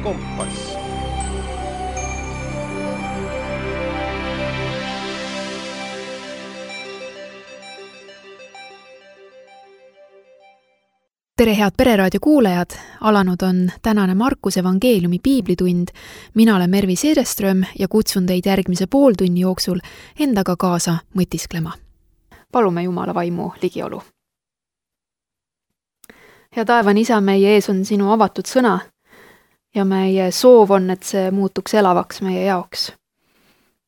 Kompass. Tere, head Pereraadio kuulajad! Alanud on tänane Markuse evangeeliumi piiblitund. Mina olen Mervi Seereström ja kutsun teid järgmise pooltunni jooksul endaga kaasa mõtisklema. Palume Jumala vaimu ligiolu. Hea taevane Isa, meie ees on sinu avatud sõna ja meie soov on, et see muutuks elavaks meie jaoks.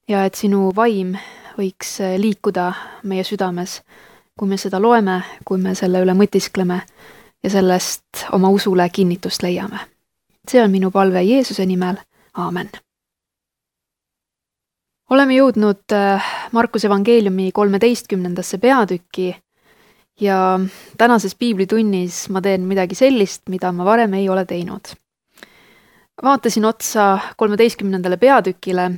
Ja et sinu vaim võiks liikuda meie südames, kui me seda loeme, kui me selle üle mõtiskleme ja sellest oma usule kinnitust leiame. See on minu palve Jeesuse nimel. Aamen. Oleme jõudnud Markuse evangeeliumi 13. peatükki ja tänases piiblitunnis ma teen midagi sellist, mida ma varem ei ole teinud. Vaatasin otsa 13. peatükile,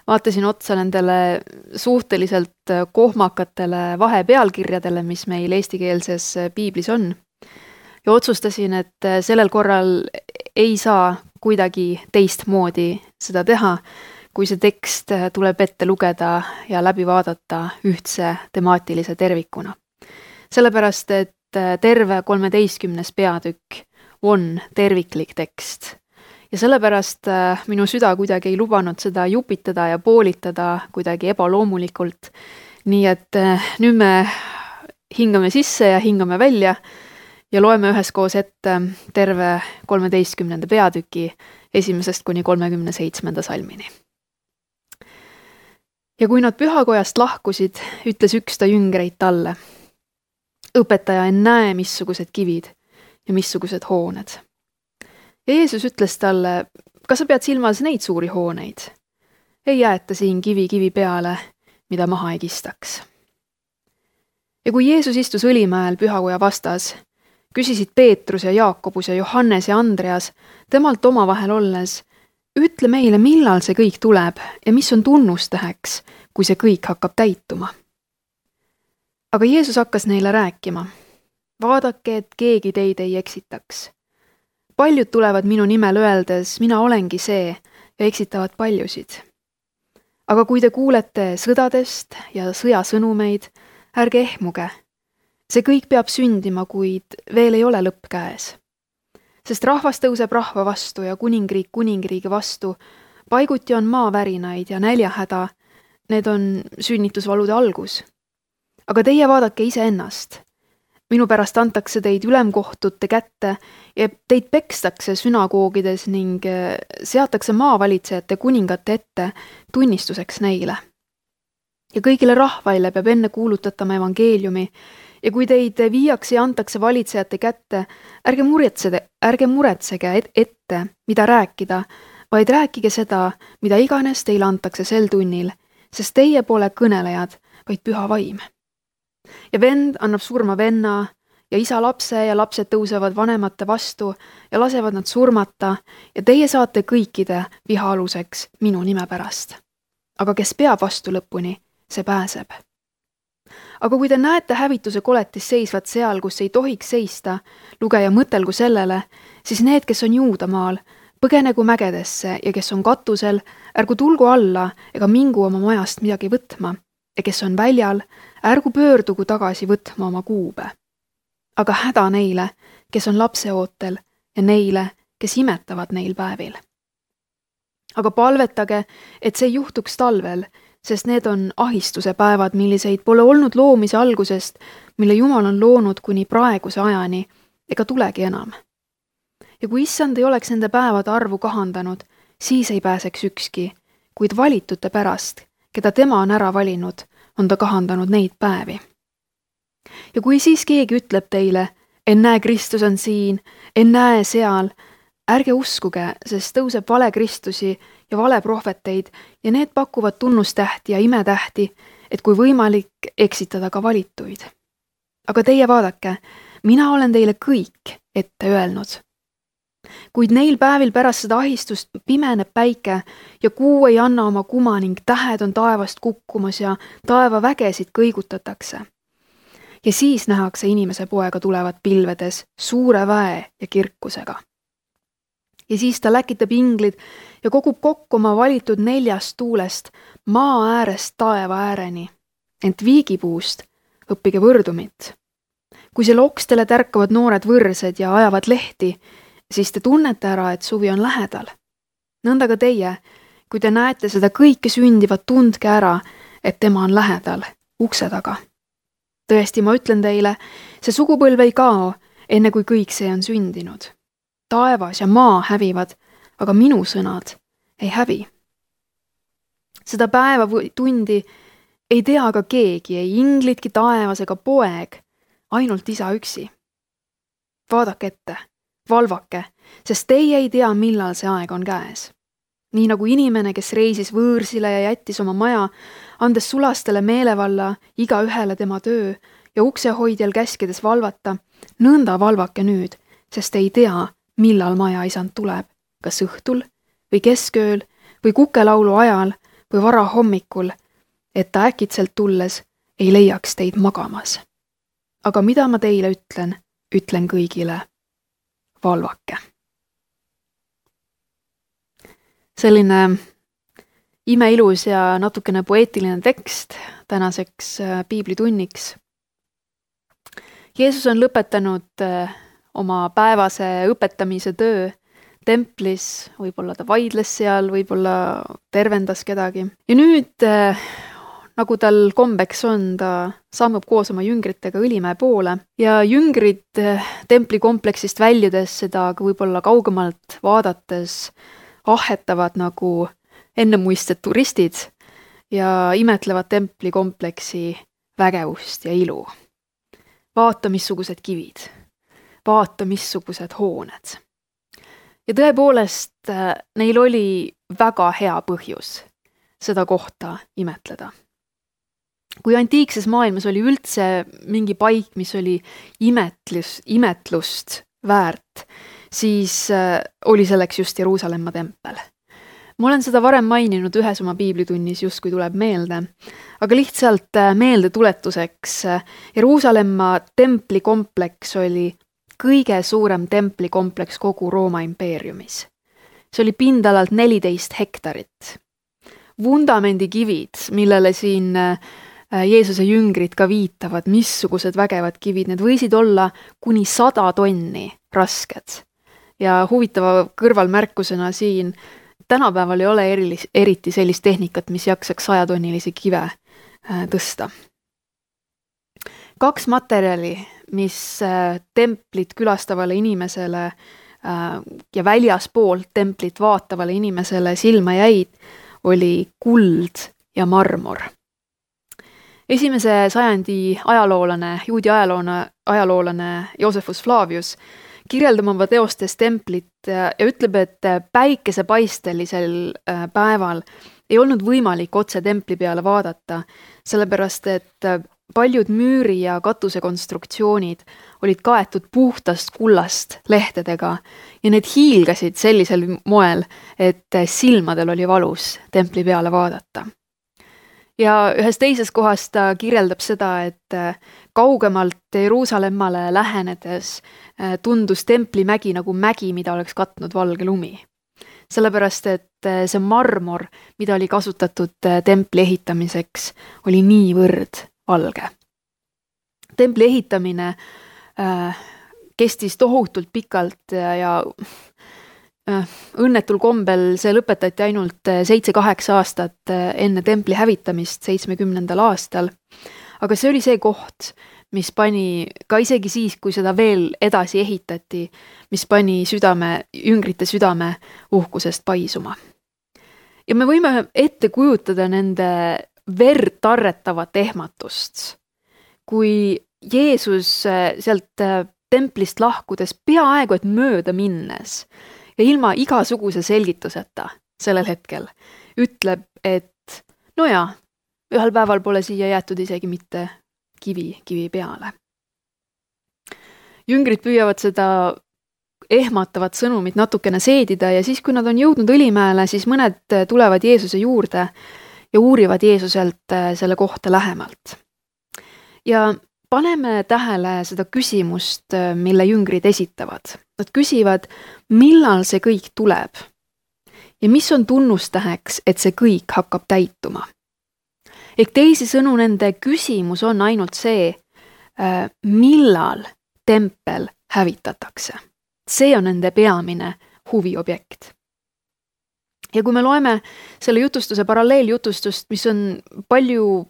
vaatasin otsa nendele suhteliselt kohmakatele vahepealkirjadele, mis meil eestikeelses piiblis on. Ja otsustasin, et sellel korral ei saa kuidagi teistmoodi seda teha, kui see tekst tuleb ette lugeda ja läbi vaadata ühtse temaatilise tervikuna. Sellepärast, et terve 13. peatükk on terviklik tekst. Ja sellepärast minu süda kuidagi ei lubanud seda jupitada ja poolitada kuidagi ebaloomulikult. Nii et nüüd me hingame sisse ja hingame välja ja loeme üheskoos ette terve 13. peatüki 1. kuni 37. salmini. Ja kui nad pühakojast lahkusid, ütles üks ta jüngreid talle: Õpetaja, en näe, missugused kivid ja missugused hooned. Ja Jeesus ütles talle: kas sa pead silmas neid suuri hooneid? Ei jäeta siin kivi peale, mida maha ei kistaks. Ja kui Jeesus istus Õlimäel pühakoja vastas, küsisid Peetrus ja Jaakobus ja Johannes ja Andreas temalt omavahel olles: ütle meile, millal see kõik tuleb ja mis on tunnustäheks, kui see kõik hakkab täituma. Aga Jeesus hakkas neile rääkima: vaadake, et keegi teid ei eksitaks. Paljud tulevad minu nimel öeldes, mina olengi see, ja eksitavad paljusid. Aga kui te kuulete sõdadest ja sõjasõnumeid, ärge ehmuge. See kõik peab sündima, kuid veel ei ole lõpp käes. Sest rahvas tõuseb rahva vastu ja kuningriik kuningriigi vastu. Paiguti on maavärinaid ja näljahäda. Need on sünnitusvalude algus. Aga teie vaadake iseennast. Minu pärast antakse teid ülemkohtute kätte ja teid pekstakse sünagoogides ning seatakse maavalitsejate kuningate ette tunnistuseks neile. Ja kõigile rahvaile peab enne kuulutatama evangeeliumi. Ja kui teid viiakse ja antakse valitsejate kätte, ärge muretsege ette, mida rääkida, vaid rääkige seda, mida iganes teile antakse sel tunnil, sest teie pole kõnelejad, vaid püha vaim. Ja vend annab surma venna ja isa lapse ja lapsed tõusevad vanemate vastu ja lasevad nad surmata ja teie saate kõikide viha aluseks minu nime pärast. Aga kes peab vastu lõpuni, see pääseb. Aga kui te näete hävituse koletis seisvat seal, kus ei tohiks seista, lugeja mõtelgu sellele, siis need, kes on Juudamaal, põgenegu mägedesse ja kes on katusel, ärgu tulgu alla ega mingu oma majast midagi võtma, ja kes on väljal, ärgu pöördugu tagasi võtma oma kuube. Aga häda neile, kes on lapseootel ja neile, kes imetavad neil päevil. Aga palvetage, et see juhtuks talvel, sest need on ahistuse päevad, milliseid pole olnud loomise algusest, mille Jumal on loonud kuni praeguse ajani, ega tulegi enam. Ja kui issand ei oleks nende päevade arvu kahandanud, siis ei pääseks ükski, kuid valitute pärast, keda tema on ära valinud, on ta kahandanud neid päevi. Ja kui siis keegi ütleb teile, en näe, Kristus on siin, en näe seal, ärge uskuge, sest tõuseb vale Kristusi ja vale prohveteid ja need pakuvad tunnustähti ja imetähti, et kui võimalik eksitada ka valituid. Aga teie vaadake, mina olen teile kõik ette öelnud. Kuid neil päevil pärast seda ahistust pimeneb päike ja kuu ei anna oma kuma ning tähed on taevast kukkumas ja taeva vägesid kõigutatakse. Ja siis nähakse inimese poega tulevat pilvedes suure väe ja kirkusega. Ja siis ta läkitab inglid ja kogub kokku oma valitud 4 tuulest maa äärest taeva ääreni, ent viigipuust õppige võrdumit. Kui seal okstele tärkavad noored võrsed ja ajavad lehti, siis te tunnete ära, et suvi on lähedal. Nõnda ka teie, kui te näete seda kõike sündivat, tundke ära, et tema on lähedal, ukse taga. Tõesti, ma ütlen teile, see sugupõlv ei kao, enne kui kõik see on sündinud. Taevas ja maa hävivad, aga minu sõnad ei hävi. Seda päeva või tundi ei tea aga keegi, ei inglitki taevas ega poeg, ainult isa üksi. Vaadake ette, valvake, sest teie ei tea, millal see aeg on käes. Nii nagu inimene, kes reisis võõrsile ja jättis oma maja, andes sulastele meelevalla iga ühele tema töö ja uksehoidjal käskides valvata, nõnda valvake nüüd, sest ei tea, millal maja isand tuleb, kas õhtul või keskööl või kukelaulu ajal või varahommikul, et ta äkitselt tulles ei leiaks teid magamas. Aga mida ma teile ütlen kõigile, valvake. Selline imeilus ja natukene poeetiline tekst tänaseks piiblitunniks. Jeesus on lõpetanud oma päevase õpetamise töö templis, võib-olla ta vaidles seal, võib-olla tervendas kedagi. Ja nüüd, nagu tal kombeks on, ta sammub koos oma jüngritega Õlimäe poole ja jüngrid templikompleksist väljudes seda võib-olla kaugemalt vaadates ahetavad nagu ennemuistsed turistid ja imetlevad templikompleksi vägevust ja ilu. Vaata, missugused kivid. Vaata, missugused hooned. Ja tõepoolest, neil oli väga hea põhjus seda kohta imetleda. Kui antiikses maailmas oli üldse mingi paik, mis oli imetlust väärt, siis oli selleks just Jeruusalemma tempel. Ma olen seda varem maininud ühes oma piiblitunnis, justkui tuleb meelde, aga lihtsalt meeldetuletuseks Jeruusalemma templikompleks oli kõige suurem templikompleks kogu Rooma impeeriumis. See oli pindalalt 14 hektarit. Vundamendikivid, millele siin Jeesuse jüngrid ka viitavad, missugused vägevad kivid, need võisid olla kuni 100 tonni rasked. Ja huvitava kõrvalmärkusena siin, tänapäeval ei ole eriti sellist tehnikat, mis jaksaks 100-tonnilisi kive tõsta. 2 materjali, mis templit külastavale inimesele ja väljaspoolt templit vaatavale inimesele silma jäid, oli kuld ja marmor. 1. sajandi juudi ajaloolane Josephus Flavius kirjeldab oma teostes templit ja ütleb, et päikesepaistelisel päeval ei olnud võimalik otse templi peale vaadata, sellepärast et paljud müüri- ja katusekonstruktsioonid olid kaetud puhtast kullast lehtedega ja need hiilgasid sellisel moel, et silmadel oli valus templi peale vaadata. Ja ühes teises kohas ta kirjeldab seda, et kaugemalt Jeruusalemmale lähenedes tundus templimägi nagu mägi, mida oleks katnud valge lumi. Sellepärast, et see marmor, mida oli kasutatud templi ehitamiseks, oli niivõrd valge. Templi ehitamine kestis tohutult pikalt ja õnnetul kombel see lõpetati ainult 7-8 aastat enne templi hävitamist 70. aastal. Aga see oli see koht, mis pani ka isegi siis, kui seda veel edasi ehitati, mis pani jüngrite südame uhkusest paisuma. Ja me võime ette kujutada nende verd tarretavat ehmatust, kui Jeesus sealt templist lahkudes peaaegu et mööda minnes ja ilma igasuguse selgituseta sellel hetkel ütleb, et no jaa, ühel päeval pole siia jäetud isegi mitte kivi peale. Jüngrid püüavad seda ehmatavat sõnumit natukene seedida ja siis, kui nad on jõudnud Õlimäele, siis mõned tulevad Jeesuse juurde ja uurivad Jeesuselt selle kohta lähemalt. Ja paneme tähele seda küsimust, mille jüngrid esitavad. Nad küsivad, millal see kõik tuleb ja mis on tunnustäheks, et see kõik hakkab täituma. Ehk teisisõnu nende küsimus on ainult see, millal tempel hävitatakse. See on nende peamine huviobjekt. Ja kui me loeme selle jutustuse paralleeljutustust, mis on palju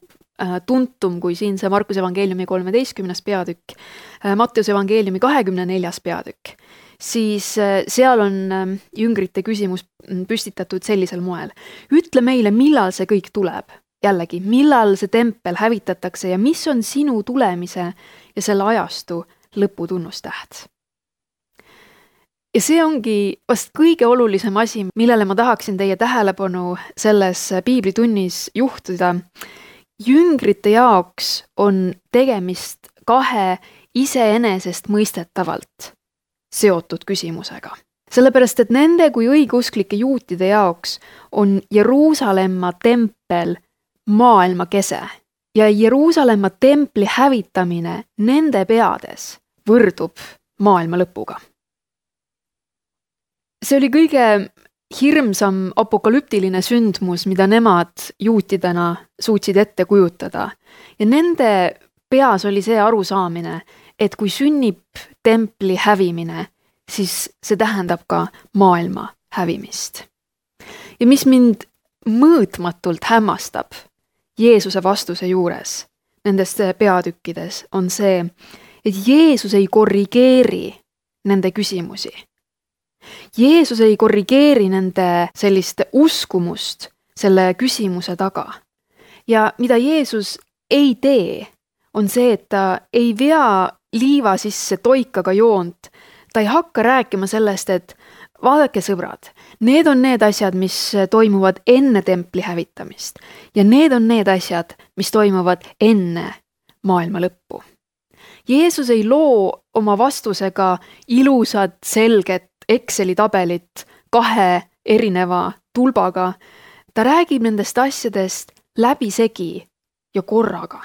tuntum kui siin see Markuse evangeeliumi 13. peatükk, Matteuse evangeeliumi 24. peatükk, siis seal on jüngrite küsimus püstitatud sellisel moel. Ütle meile, millal see kõik tuleb. Jällegi, millal see tempel hävitatakse ja mis on sinu tulemise ja selle ajastu lõputunnustäht. Ja see ongi vast kõige olulisem asi, millele ma tahaksin teie tähelepanu selles piiblitunnis juhtida. Jüngrite jaoks on tegemist kahe iseenesest mõistetavalt seotud küsimusega. Sellepärast, et nende kui õigeusklike juutide jaoks on Jeruusalemma tempel maailma kese ja Jeruusalemma templi hävitamine nende peades võrdub maailma lõpuga. See oli kõige hirmsam apokalüptiline sündmus, mida nemad juutidena suutsid ette kujutada. Ja nende peas oli see arusaamine, et kui sünnib templi hävimine, siis see tähendab ka maailma hävimist. Ja mis mind mõõtmatult hämmastab Jeesuse vastuse juures nendes peatükkides, on see, et Jeesus ei korrigeeri nende küsimusi. Jeesus ei korrigeeri nende sellist uskumust selle küsimuse taga. Ja mida Jeesus ei tee, on see, et ta ei vea liiva sisse toikaga joont. Ta ei hakka rääkima sellest, et vaadake sõbrad, need on need asjad, mis toimuvad enne templi hävitamist ja need on need asjad, mis toimuvad enne maailma lõppu. Jeesus ei loo oma vastusega ilusat, selget Exceli tabelit kahe erineva tulbaga. Ta räägib nendest asjadest läbisegi ja korraga.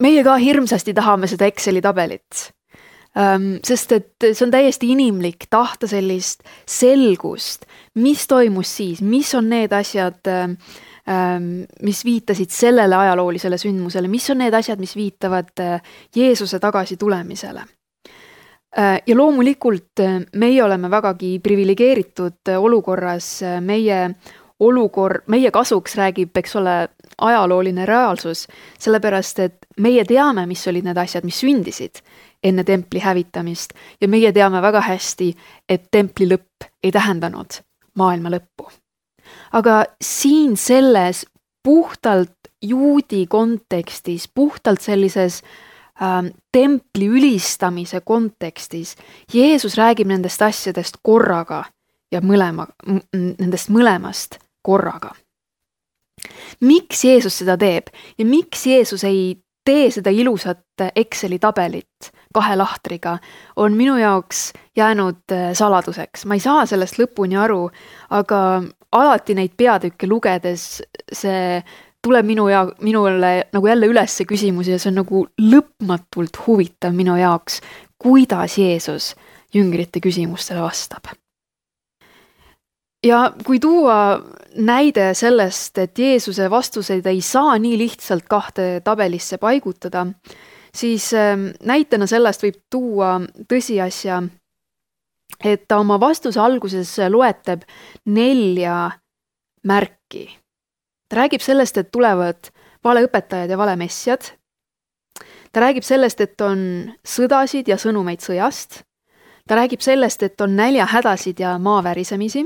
Meie ka hirmsasti tahame seda Exceli tabelit, sest et see on täiesti inimlik tahta sellist selgust, mis toimus siis, mis on need asjad, mis viitasid sellele ajaloolisele sündmusele, mis on need asjad, mis viitavad Jeesuse tagasi tulemisele. Ja loomulikult meie oleme vägagi privilegeeritud olukorras, meie kasuks räägib, eks ole, ajalooline reaalsus, sellepärast, et meie teame, mis olid need asjad, mis sündisid enne templi hävitamist ja meie teame väga hästi, et templi lõpp ei tähendanud maailma lõppu. Aga siin selles puhtalt juudi kontekstis, puhtalt sellises templi ülistamise kontekstis, Jeesus räägib nendest asjadest korraga ja nendest mõlemast korraga. Miks Jeesus seda teeb ja miks Jeesus ei tee seda ilusat Exceli tabelit kahe lahtriga, on minu jaoks jäänud saladuseks. Ma ei saa sellest lõpuni aru, aga alati neid peatükke lugedes see tuleb minule nagu jälle üles see küsimus ja see on nagu lõpmatult huvitav minu jaoks, kuidas Jeesus jüngrite küsimustele vastab. Ja kui tuua näide sellest, et Jeesuse vastuseid ei saa nii lihtsalt kahte tabelisse paigutada, siis näitena sellest võib tuua tõsiasja, et ta oma vastuse alguses loetleb 4 märki. Ta räägib sellest, et tulevad valeõpetajad ja valemessjad. Ta räägib sellest, et on sõdasid ja sõnumeid sõjast. Ta räägib sellest, et on näljahädasid ja maavärisemisi.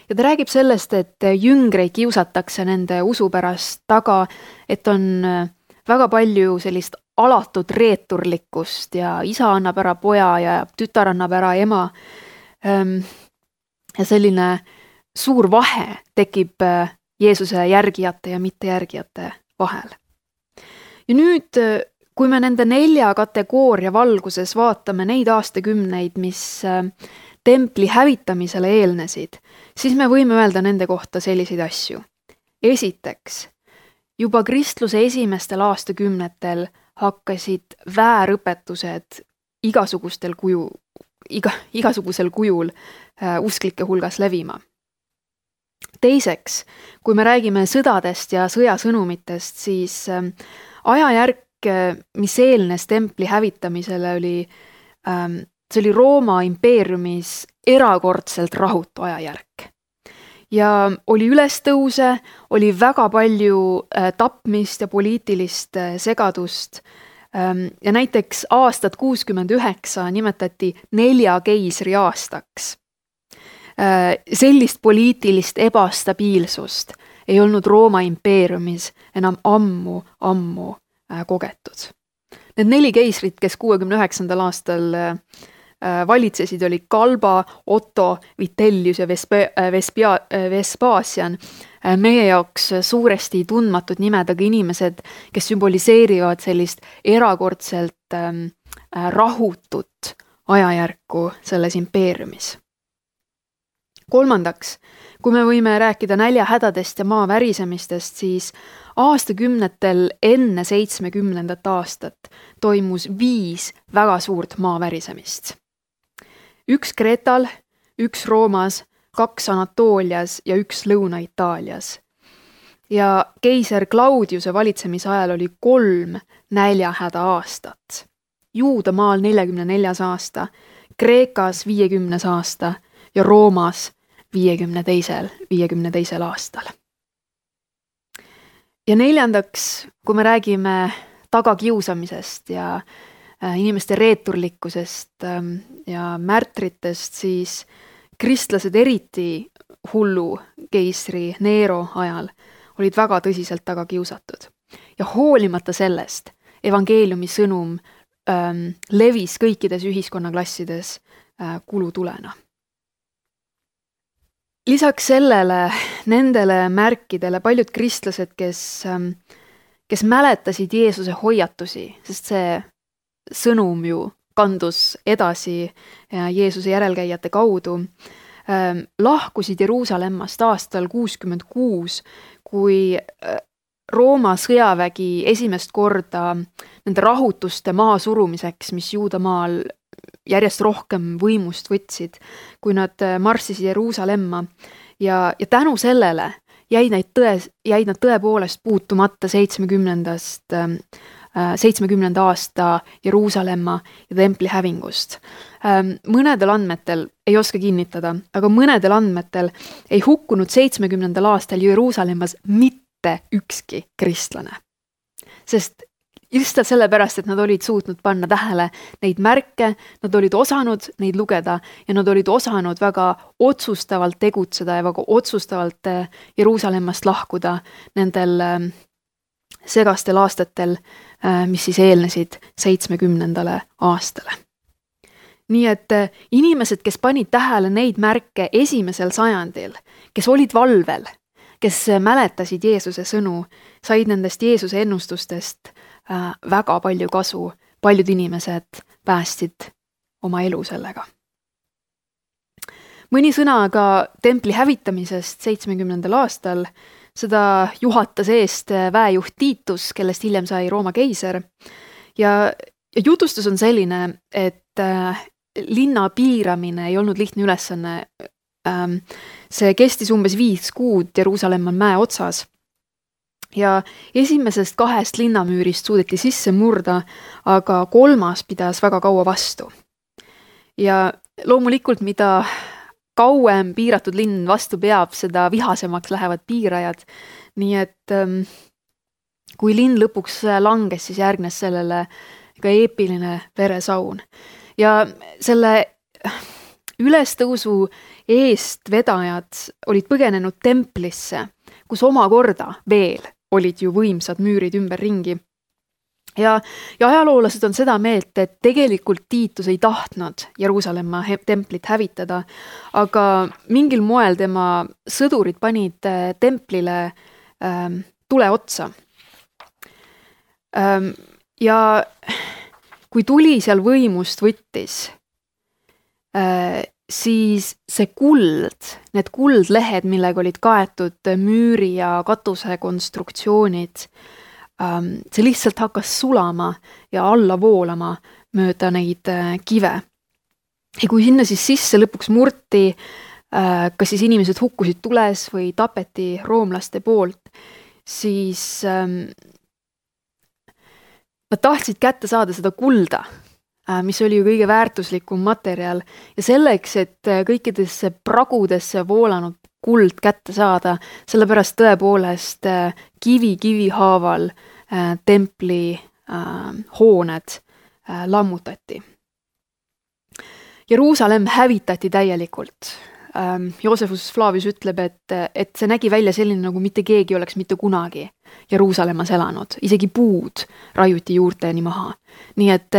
Ja ta räägib sellest, et jüngreid kiusatakse nende usu pärast taga, et on väga palju sellist alatut reeturlikkust ja isa annab ära poja ja tütar annab ära ema. Ja selline suur vahe tekib Jeesuse järgijate ja mittejärgijate vahel. Ja nüüd, kui me nende 4 kategooria valguses vaatame neid aastakümneid, mis templi hävitamisele eelnesid, siis me võime öelda nende kohta selliseid asju. Esiteks, juba kristluse esimestel aastakümnetel hakkasid väärõpetused igasugusel kujul usklike hulgas levima. Teiseks, kui me räägime sõdadest ja sõjasõnumitest, siis ajajärk, mis eelnes templi hävitamisele, see oli Rooma impeeriumis erakordselt rahutu ajajärk. Ja oli ülestõuse, oli väga palju tapmist ja poliitilist segadust. Ja näiteks aastat 69 nimetati 4 keisri aastaks. Sellist poliitilist ebastabiilsust ei olnud Rooma impeeriumis enam ammu kogetud. Need 4 keisrit, kes 69. aastal valitsesid, oli Galba, Otto, Vitellius ja Vespasian. Meie jaoks suuresti tundmatud nimed, aga inimesed, kes sümboliseerivad sellist erakordselt rahutut ajajärku selles impeeriumis. Kolmandaks, kui me võime rääkida näljahädadest ja maa värisemistest, siis aastakümnetel enne 70. aastat toimus 5 väga suurt maa värisemist. 1 Kreetal, 1 Roomas, 2 Anatoolias ja 1 Lõuna-Itaalias. Ja keiser Claudiuse valitsemise ajal oli 3 näljahäda aastat. Juudamaal 44. aasta, Kreekas 50. aasta ja Roomas 52. aastal. Ja neljandaks, kui me räägime tagakiusamisest ja inimeste reeturlikkusest ja märtritest, siis kristlased eriti hullu keisri Nero ajal olid väga tõsiselt tagakiusatud. Ja hoolimata sellest evangeeliumi sõnum levis kõikides ühiskonnaklassides kulutulena. Lisaks sellele, nendele märkidele paljud kristlased, kes mäletasid Jeesuse hoiatusi, sest see sõnum ju kandus edasi Jeesuse järelkäijate kaudu, lahkusid Jeruusalemmast aastal 66, kui Rooma sõjavägi esimest korda nende rahutuste maha surumiseks, mis Juudamaal järjest rohkem võimust võtsid, kui nad marssisid Jeruusalemma ja tänu sellele jäid nad tõepoolest puutumata 70. aasta Jeruusalemma ja templi hävingust. Mõnedel andmetel, ei oska kinnitada, aga mõnedel andmetel ei hukkunud 70. aastal Jeruusalemmas mitte ükski kristlane. Sest lihtsalt sellepärast, et nad olid suutnud panna tähele neid märke, nad olid osanud neid lugeda ja nad olid osanud väga otsustavalt tegutseda ja väga otsustavalt Jeruusalemmast lahkuda nendel segastel aastatel, mis siis eelnesid 70. aastale. Nii et inimesed, kes panid tähele neid märke esimesel sajandil, kes olid valvel, kes mäletasid Jeesuse sõnu, said nendest Jeesuse ennustustest väga palju kasu, paljud inimesed päästsid oma elu sellega. Mõni sõna aga templi hävitamisest 70. aastal, seda juhatas eest väejuht Titus, kellest hiljem sai Rooma keiser. Ja jutustus on selline, et linna piiramine ei olnud lihtne ülesanne. See kestis umbes 5 kuud, Jeruusalemm on mäe otsas. Ja esimesest 2 linnamüürist suudeti sisse murda, aga 3. pidas väga kaua vastu. Ja loomulikult, mida kauem piiratud linn vastu peab, seda vihasemaks lähevad piirajad. Nii et kui linn lõpuks langes, siis järgnes sellele ka eepiline veresaun. Ja selle ülestõusu eest vedajad olid põgenenud templisse, kus omakorda veel olid ju võimsad müürid ümber ringi. Ja ajaloolased on seda meelt, et tegelikult Tiitus ei tahtnud Jeruusalemma templit hävitada, aga mingil moel tema sõdurid panid templile tule otsa. Ja kui tuli seal võimust võttis, siis see kuld, need kuldlehed, millega olid kaetud müüri ja katuse konstruktsioonid, see lihtsalt hakkas sulama ja alla voolama mööda neid kive. Ja kui sinna siis sisse lõpuks murti, kas siis inimesed hukkusid tules või tapeti roomlaste poolt, siis nad tahtsid kätte saada seda kulda, mis oli ju kõige väärtuslikum materjal ja selleks, et kõikidesse pragudesse voolanud kuld kätte saada, sellepärast tõepoolest kivi haaval templi hooned lammutati. Jeruusalemm hävitati täielikult. Joosefus Flavius ütleb, et see nägi välja selline, nagu mitte keegi oleks mitte kunagi Jeruusalemmas elanud. Isegi puud raiuti juurteni maha. Nii et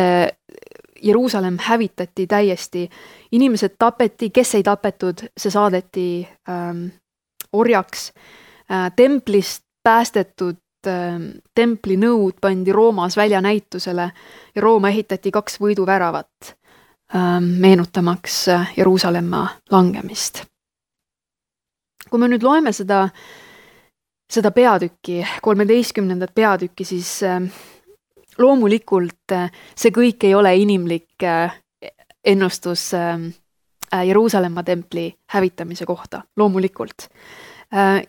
Jeruusalemm hävitati täiesti. Inimesed tapeti, kes ei tapetud, see saadeti orjaks. Templist päästetud templi nõud pandi Roomas väljanäitusele ja Rooma ehitati 2 võiduväravat. Meenutamaks Jeruusalemma langemist. Kui me nüüd loeme seda peatükki, 13. peatükki, siis loomulikult see kõik ei ole inimlik ennustus Jeruusalemma templi hävitamise kohta, loomulikult.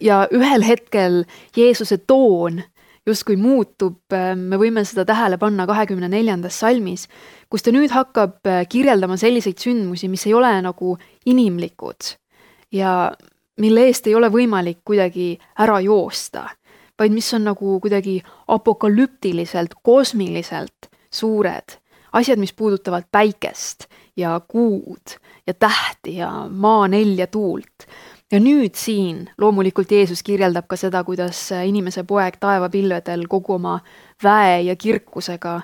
Ja ühel hetkel Jeesuse toon justkui muutub, me võime seda tähele panna 24. salmis, kus ta nüüd hakkab kirjeldama selliseid sündmusi, mis ei ole nagu inimlikud ja mille eest ei ole võimalik kuidagi ära joosta, vaid mis on nagu kuidagi apokalüptiliselt, kosmiliselt suured asjad, mis puudutavad päikest ja kuud ja tähti ja maa, nelja, tuult. Ja nüüd siin loomulikult Jeesus kirjeldab ka seda, kuidas inimese poeg taevapilvedel kogu oma väe ja kirkusega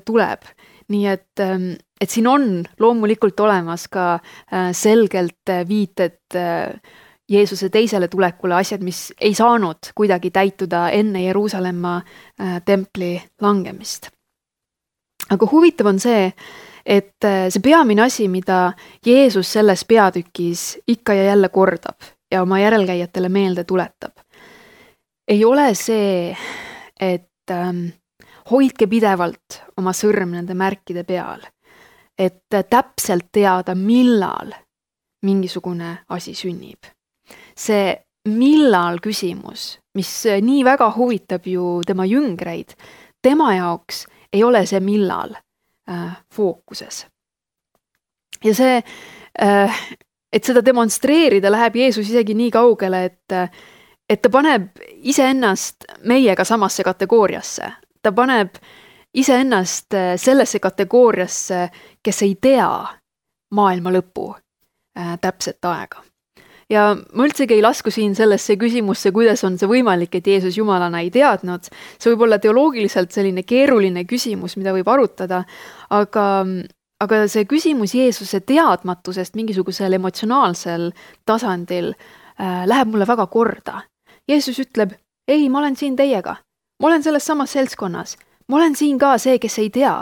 tuleb. Nii et siin on loomulikult olemas ka selgelt viited Jeesuse teisele tulekule, asjad, mis ei saanud kuidagi täituda enne Jeruusalemma templi langemist. Aga huvitav on see, et see peamine asi, mida Jeesus selles peatükis ikka ja jälle kordab ja oma järelkäijatele meelde tuletab, ei ole see, et hoidke pidevalt oma sõrm nende märkide peal, et täpselt teada, millal mingisugune asi sünnib. See millal küsimus, mis nii väga huvitab ju tema jüngreid, tema jaoks ei ole see millal fookuses. Ja see, et seda demonstreerida, läheb Jeesus isegi nii kaugele, et ta paneb iseennast meiega samasse kategooriasse. Ta paneb iseennast sellesse kategooriasse, kes ei tea maailma lõpu täpset aega. Ja ma üldsegi ei lasku siin sellesse küsimusse, kuidas on see võimalik, et Jeesus Jumalana ei teadnud. See võib olla teoloogiliselt selline keeruline küsimus, mida võib arutada, aga see küsimus Jeesuse teadmatusest mingisugusel emotsionaalsel tasandil läheb mulle väga korda. Jeesus ütleb, ei, ma olen siin teiega. Ma olen selles samas seltskonnas. Ma olen siin ka see, kes ei tea.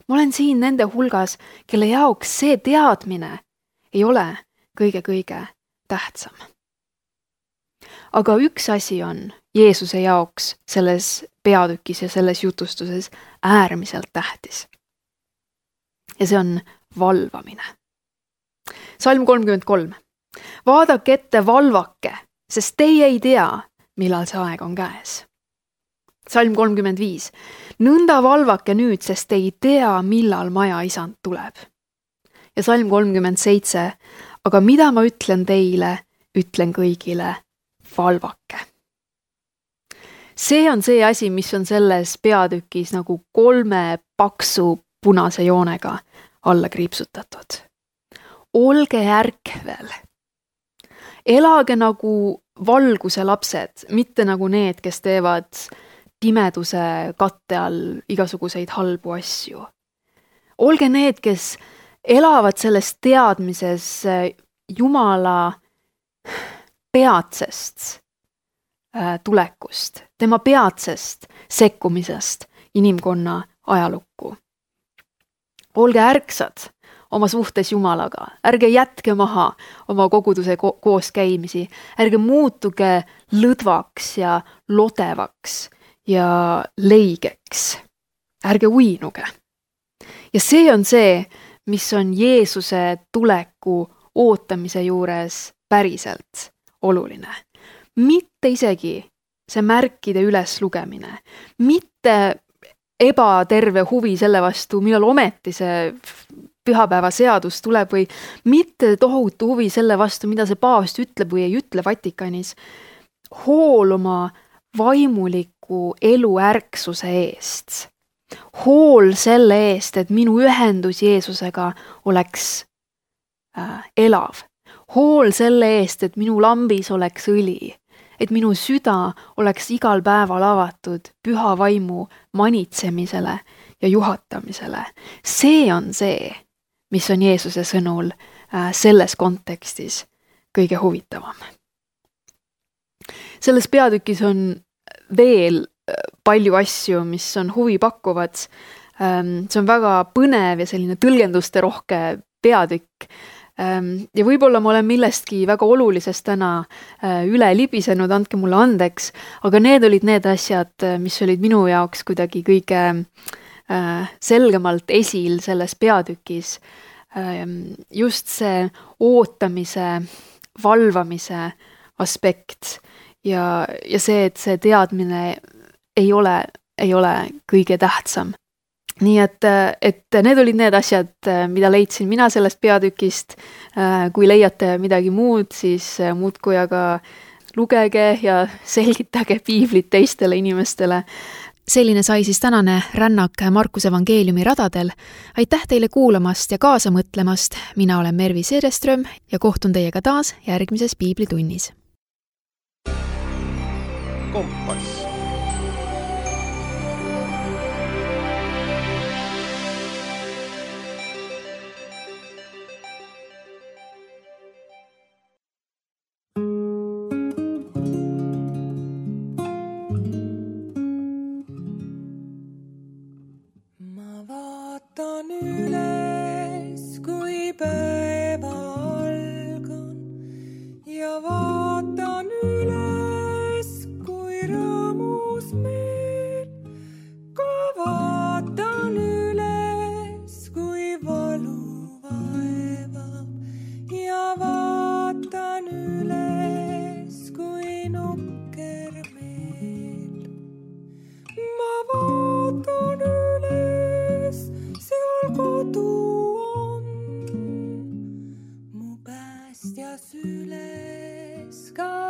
Ma olen siin nende hulgas, kelle jaoks see teadmine ei ole kõige tähtsam. Aga üks asi on Jeesuse jaoks selles peatükis ja selles jutustuses äärmiselt tähtis. Ja see on valvamine. Salm 33. Vaadake ette, valvake, sest teie ei tea, millal see aeg on käes. Salm 35. Nõnda valvake nüüd, sest te ei tea, millal maja isand tuleb. Ja salm 37. Aga mida ma ütlen teile, ütlen kõigile, valvake. See on see asi, mis on selles peatükis nagu 3 paksu punase joonega alla kriipsutatud. Olge ärkvel. Elage nagu valguse lapsed, mitte nagu need, kes teevad pimeduse katte all igasuguseid halbu asju. Olge need, kes elavad selles teadmises Jumala peatsest tulekust, tema peatsest sekkumisest inimkonna ajalukku. Olge ärksad oma suhtes Jumalaga, ärge jätke maha oma koguduse koos käimisi, ärge muutuge lõdvaks ja lodevaks ja leigeks, ärge uinuge. Ja see on see, mis on Jeesuse tuleku ootamise juures päriselt oluline. Mitte isegi see märkide üles lugemine, mitte ebaterve huvi selle vastu, millal ometi see pühapäeva seadus tuleb või mitte tohutu huvi selle vastu, mida see paavst ütleb või ei ütle Vatikanis. Hool oma vaimuliku elu ärksuse eest. Hool selle eest, et minu ühendus Jeesusega oleks elav. Hool selle eest, et minu lambis oleks õli. Et minu süda oleks igal päeval avatud püha vaimu manitsemisele ja juhatamisele. See on see, mis on Jeesuse sõnul selles kontekstis kõige huvitavam. Selles peatükis on veel palju asju, mis on huvi pakkuvad. See on väga põnev ja selline tõlgenduste rohke peatükk. Ja võib-olla ma olen millestki väga olulisest täna üle libisenud, andke mulle andeks, aga need olid need asjad, mis olid minu jaoks kuidagi kõige selgemalt esil selles peatükis. Just see ootamise, valvamise aspekt ja see, et see teadmine ei ole kõige tähtsam. Nii et need olid need asjad, mida leidsin mina sellest peatükist. Kui leiate midagi muud, siis muudkui aga lugege ja selgitage piiblit teistele inimestele. Selline sai siis tänane rännak Markuse evangeeliumi radadel. Aitäh teile kuulamast ja kaasa mõtlemast. Mina olen Mervi Seereström ja kohtun teiega taas järgmises piiblitunnis. Kompass. Süles ka